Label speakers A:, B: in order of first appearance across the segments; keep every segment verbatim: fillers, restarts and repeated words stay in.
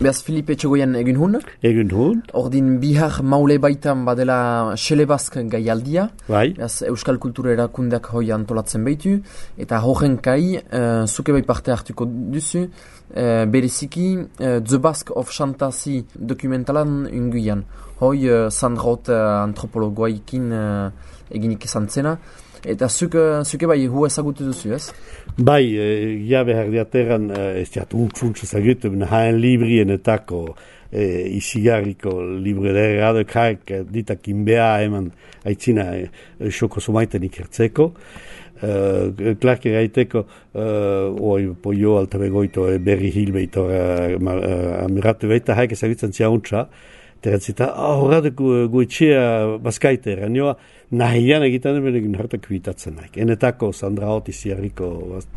A: Beaz Filipe Etxegoian egin hun?
B: Egin hun.
A: Ordin bihar maule baitan badela Xelebazk gaialdia.
B: Bai.
A: Beaz Euskal Kultura erakundeak hoi antolatzen behitu. Eta horren kai, uh, zuke bai parte hartuko duzu, uh, bereziki uh, The Basque of Fantasy dokumentalan unguian. Hoi uh, Sandrot uh, antropologoaikin uh, eginik esan zena. Eta zuke, zuke bai hu ezagutu duzu, ez?
B: Bai, e, ja behar diateran, ez diat untzuntz ezagutu, haen librienetako e, isigarriko librera kaik ditak inbea eman aitzina e, xoko sumaiten ikertzeko. Uh, Clark eraiteko uh, oi poio altabegoito e, berri hilbeito uh, uh, amiratu beita haik ezagutzen ziauntza. Teratzita, horretu guetxea bazkaite eranioa, nahian egiten emenekin hartak bitatzen naik. Enetako Sandra Hoti ziarriko,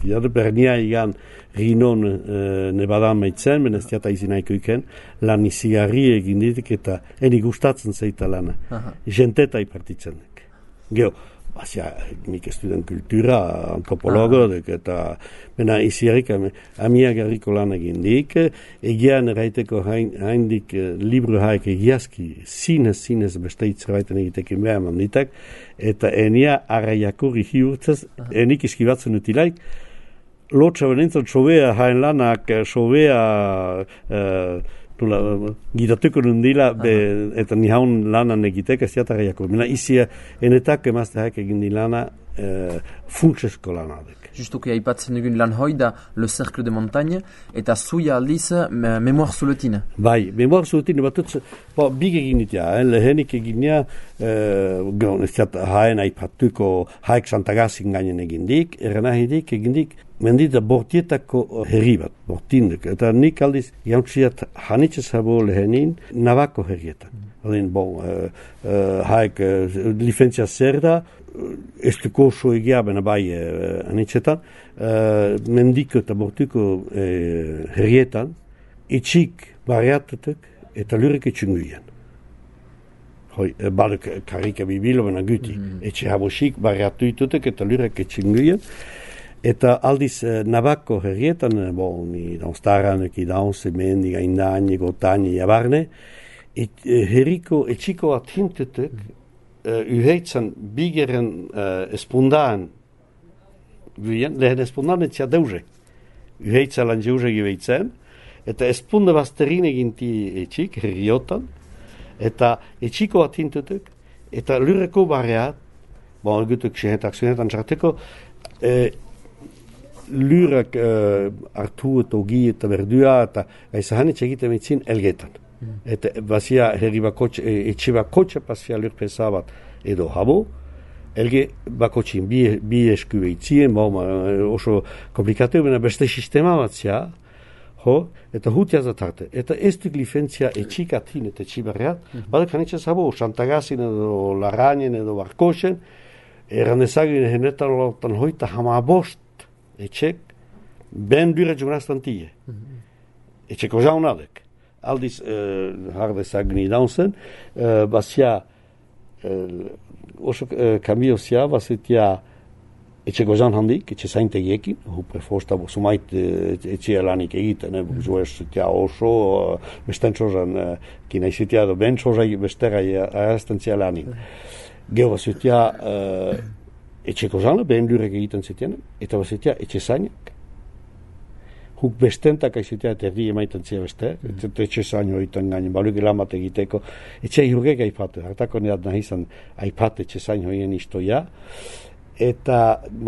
B: jade bernia igan rinon e, nebadan meitzen, menestiata izinaiko iken, lan izigarri egin ditik eta eni gustatzen zeita lana. Jenteta ipartitzen nek. Geo, bazia, nik estuden kultura, antropologo, dek, eta mena iziarrik amiak garriko lan egin dik, egian eraiteko haindik libro haik egiazki, zinez, zinez beste itzerbaiten egitekin behar manditak, eta enia arraiakurri hiurtzez, enik iskibatzen utilaik, lotxa benintzen sobea hain lanak, sobea uh, gidatuko nundila eta nihaun lanan egitek ez diatarriako. Mena izia enetak emazte haik egin di lana e, funtsesko lanadek.
A: Justuki aipatzen dugun lan hoi da Le Cercle de Montagne eta zuia aldiz me, Memoir Zuletine.
B: Bai, Memoir Zuletine batutz, bo, big egin ditia, eh? Lehenik egin nia, eh, gron, ez diat haen aipatuko haik Santagazin gainen egin dik, eranahidik egin dik, mendita bortietako herri bat, bortindek. Eta nik aldiz jauntziat hanitzez habo lehenin Navako herrietan. Mm. Odin, bon, uh, uh, haik uh, licentzia zer da, ez duko oso egia bena bai uh, hanitzetan, uh, mendiko eta bortiko uh, herrietan, itxik barriatutek eta lurek etxunguian. Hoi, badek karika bibilo bena guti, mm. etxe habosik barriatu itutek eta lurek etxunguian. Eta aldiz eh, Navako herrietan, bon, ni daunstaran, eki daunze, mendi, gaindani, gotani, jabarne, et, eh, herriko etxiko athintetek, eh, uheitzan bigeren eh, espundaan, guien, lehen espundaan etxia deuze. Uheitza lan jeuze gibeitzen, eta espunda bazterin eginti etxik, herriotan, eta etxiko athintetek, eta lurreko barreat, bon, gutuk xehetak zunetan txarteko, eh, lurak uh, hartu eta ogi eta berdua eta aizahanitz egiten mitzin elgetan. Mm. Eta bazia herri bakotxe, etxe bakotxe pasia lurpesa bat edo habo, elge bakotxin bi, bi esku behitzien, bauma oso komplikatu, bena beste sistema bat zia, ho, eta hutia zatarte. Eta ez duk licentzia etxikatin eta etxibarreat, mm. badak hanitzez habo, Santagazin edo Larrainen edo Barkosen, eran ezagin henetan lotan hoita hama bost, etxek, ben dure jugnaztan tie. Mm-hmm. Etxeko jaunadek. Aldiz, uh, hardezak nidaunzen, uh, bazia, uh, oso uh, kambio zia, bazitia etxeko jaun handik, etxe zaintegiekin, hu prefosta sumait uh, etxea lanik egiten, eh, buzuez zitia oso, uh, besten txozan, uh, kina izitia do ben txozai bestera arazten zia lanik. Mm-hmm. Geo bazitia, uh, etxeko zana, behen lurek egiten zitean, eta bazitea etxe zainak. Huk bestentak aizitea, eta erdi emaiten zia beste, mm. eta etxe zaino egiten gainen, baluk elamat egiteko. Etxe hirurek aipatu, hartako neat nahi izan aipatu etxe zaino egin istoia, eta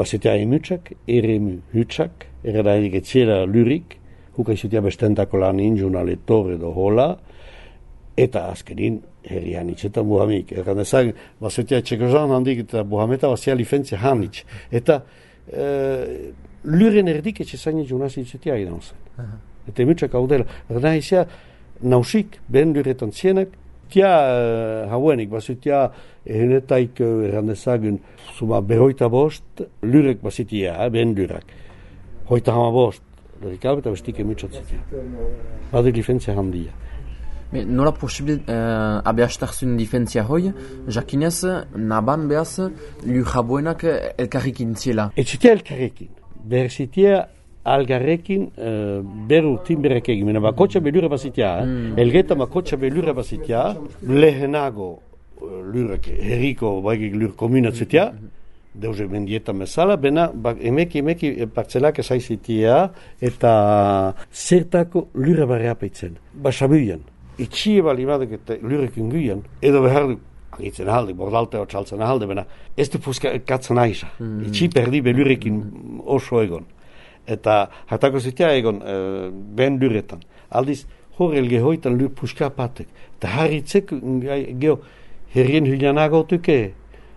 B: bazitea emutsak, eremu hutsak, erra erik etxera lurik, huk aizitea bestentako lan injuna letor edo hola, eta azkenin, herrian itxetan buhamik. Erran ezag, bazetia etxeko zan handik eta buhameta bazia licentzia hanitz. Eta e, luren erdik etxe zaini junaz itxetia idan zen. Uh-huh. Eta emutsak hau dela. Erran izia, nausik, behen luretan zienak, tia uh, hauenik, bazetia ehenetaik erran ezagun, zuma beroita bost, lurek bazetia, behen lurak. Hoita hama bost, lurik hau eta bestik emutsat zitia. Badik licentzia handia.
A: Me, nola posible uh, abeastarzun difentzia hoi, jakinez, naban behaz, lur jaboenak elkarrikin ziela?
B: Etxitea elkarrikin. Berzitea algarrekin uh, beru timberek egin, mena bakotxa belura bazitia, eh? mm. elgeta bakotxa belura bazitia, lehenago uh, lurek herriko baigik lur komunatzitia, deuze mendieta mesala, bena bak, emeki emeki partzelak esaizitia eta zertako lura barra peitzen. Basabuian, itxie bali badek eta lurek inguian, edo behar du, agitzen ahalde, bordaltea txaltzen ahalde, bena ez du puzka katzen aiza. Mm. Itxi perdi belurekin oso egon. Eta hartako zitea egon e, ben luretan. Aldiz, horrel gehoitan lur puska patek. Eta harritzek geho herrien hylianagotuke,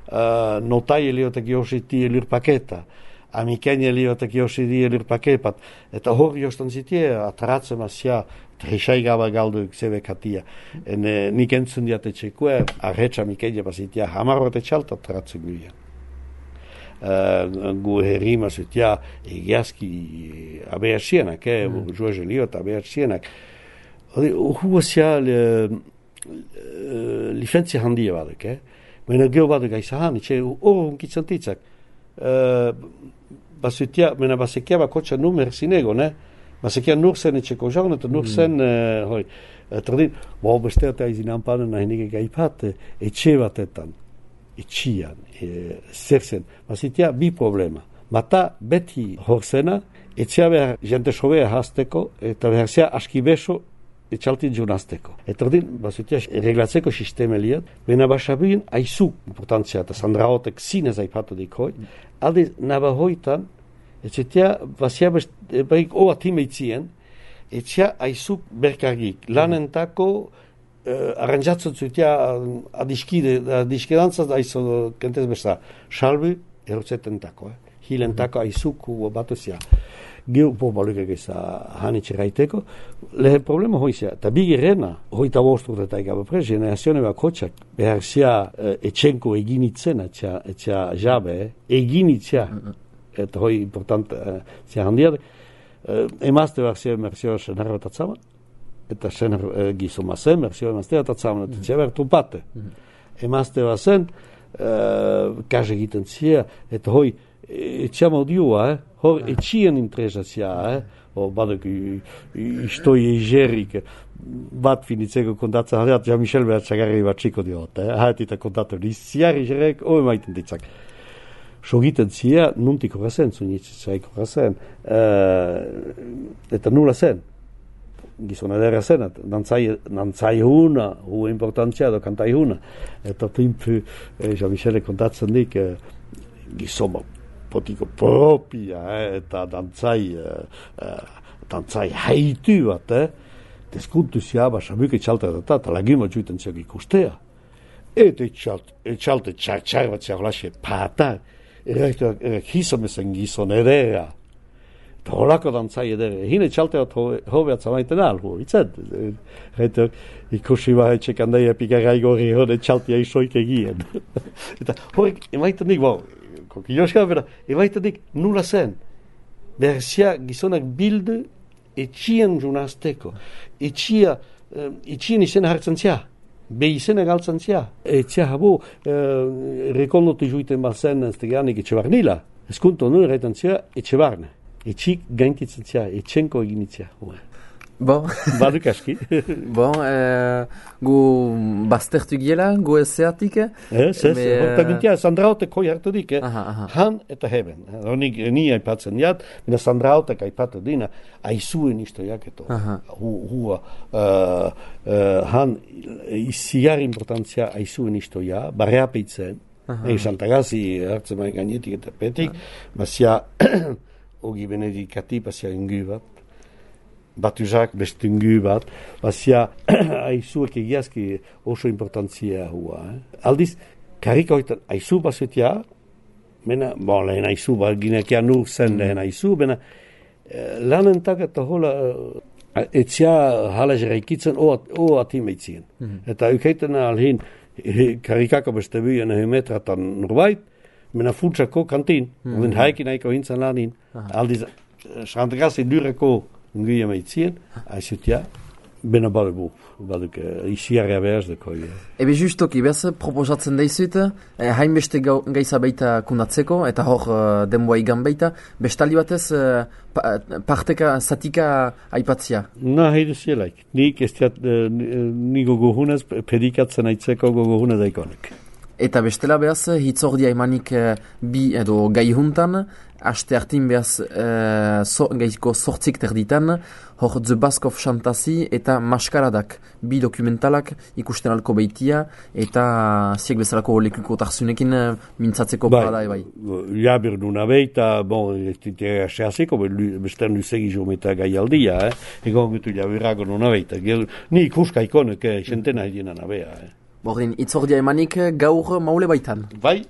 B: Uh, notai eliotek jositi elur paketa, amiken eliotek jositi elur pakepat, eta hori jostan zitie, ataratzen asia, trishai gaba galdu zebe katia. En eh, nik entzun diate txekue, arretxa amiken jeba zitia, hamarrote txalta ataratzen guien. Uh, gu herrima zitia, egiazki abeasienak, eh, mm. joaz eliot abeasienak. Hua zia uh, licentzia handia badek, eh? Mena geho badek aizahan, itxe horren kitzan titzak. Uh, basutia, mena basekia bakotxa numer zinegon, eh? Basekia nur zen etxeko jaun, eta nur zen, uh, hoi, tradin, bo, beste eta izin anpanen nahinik egaipat, etxe batetan, etxian, e, zer zen. Basutia, bi problema. Bata, beti horzena, etxea behar jente sobea hasteko, eta behar zea aski beso, etxaltin junazteko. Eta ordin, bazutia, reglatzeko sistema liat, bena basabien aizu importantzia, eta sandraotek zinez aipatu dikoi, alde nabahoitan, etxetia, bazia baik oa timeitzien, etxea aizu berkargik, lanentako, uh, arranjatzen zutia, adiskide, adiskedantzaz aizu kentez besta, salbu, erotzetentako, eh? Hilentako aizuku batuzia. Geu po baluke geza hanitxe gaiteko, lehen problema hoizia, eta bigirena, hoita bostur eta ikabe prez, generazione bakotxak, behar zia uh, etxenko eginitzen, etxea, etxea jabe, eh? eginitzea, eta hoi important uh, zia handiade, uh, emazte behar zia emerzioa senarra tatzama, eta senar uh, gizoma zen, emerzioa emaztea tatzama, eta zia behar tupate. Emazte behar zen, uh, kaze egiten zia, eta hoi, etxea maudioa, eh? Hor etxien interesazia, eh? O badok istoi egerik, bat finitzeko kontatzen, hareat, Jean-Michel behar txagarri bat txiko diot, eh? Haetita kontatzen, iziar egerek, ome maiten ditzak. Sogiten zia, nuntik horrezen, zunitzaik horrezen, uh, eta nula zen, gizon edera zen, nantzai huna, hu importantzia do kantai huna, eta timpu, eh, Jean-Michel kontatzen dik, eh, gizoma, potiko propia, eh, eta dantzai, eh, dantzai haitu bat, eh, deskuntu zia, basabuk etxalta eta eta lagima juiten ziak ikustea. Eta etxalte txar txar bat ziak laxe patar, errektuak errek hizomezen gizon edera, eta holako dantzai edera, hine etxalte bat hobeat zamaiten alhu, itzat, errektuak ikusi bat etxek handai epikarrai gori hori etxaltia isoik egien. Eta horrek emaiten nik, bau, Kokiloska, bera, ebaitadik nula zen. Berzia gizonak bildu etxien junazteko. Etxia, uh, etxien izena hartzen zia. Be izena galtzen zia. Etxia habu, uh, rekondotu juiten bazen ez teganik etxe barnila. Eskunto nu erraitan zia etxe barne. Etxik gainkitzen zia, etxenko eginitzia.
A: Bon.
B: Baduk aski.
A: Bon, eh, gu baztertu giela, gu ezeatik.
B: Ez, ez, eta gintia, Sandraotek hoi hartu dik, eh?
A: Aha, aha.
B: Han eta heben. Honik ni aipatzen jat, mina Sandraotek aipatu dina, aizuen istoiak eto. Hu, hua, uh, uh, han iziar importantzia aizuen istoia, barreapeitzen, egin Santagazi hartzen maik gainetik eta petik, bazia, ogi benedikati, bazia ingu bat, batuzak bestungu bat, bazia aizuek egiazki oso importantzia hua. Eh? Aldiz, karika hoitan aizu bazutia, mena, bon, lehen aizu, ba, ginekia nur zen mm. lehen aizu, bena, eh, lanentak eta hola, eh, etzia hala jeraikitzen o atimeitzien. Mm. Eta eukeiten alhin, karikako beste buien ehemetratan nurbait, mena funtsako kantin, mm. den haikin haiko hintzen lanin, aldiz, Santagazi dureko Nguia maitzien, aizutia, Bena badugu, baduk, iziarrea behaz deko.
A: Ebe justoki, behaz, proposatzen daizut, eh, hainbeste gau, gaiza baita kundatzeko, eta hor uh, denboa igan baita, bestali batez uh, pa, parteka, zatika aipatzia.
B: Na, haide zielaik. Nik ez diat, uh, ni gogohunez, pedikatzen aitzeko gogohunez daikonek.
A: Eta bestela behaz, hitzordia emanik uh, bi edo gai juntan, aste hartin behaz uh, so, gaizko sortzik terditan, hor The Bask of Shantasi eta Maskaradak, bi dokumentalak ikusten alko beitia, eta ziek bezalako lekuko tarzunekin uh, mintzatzeko
B: bai,
A: parada ebai.
B: Ja, berduna beita, bon, ez ditea sehazeko, bestean luzegi jometa gai aldia, eh? Egon gitu ja berrago nuna beita. Ni ikuska ikonek, eh, xentena edienan abea, eh?
A: Bordin, hitzordia emanik gaur maule baitan.
B: Bai.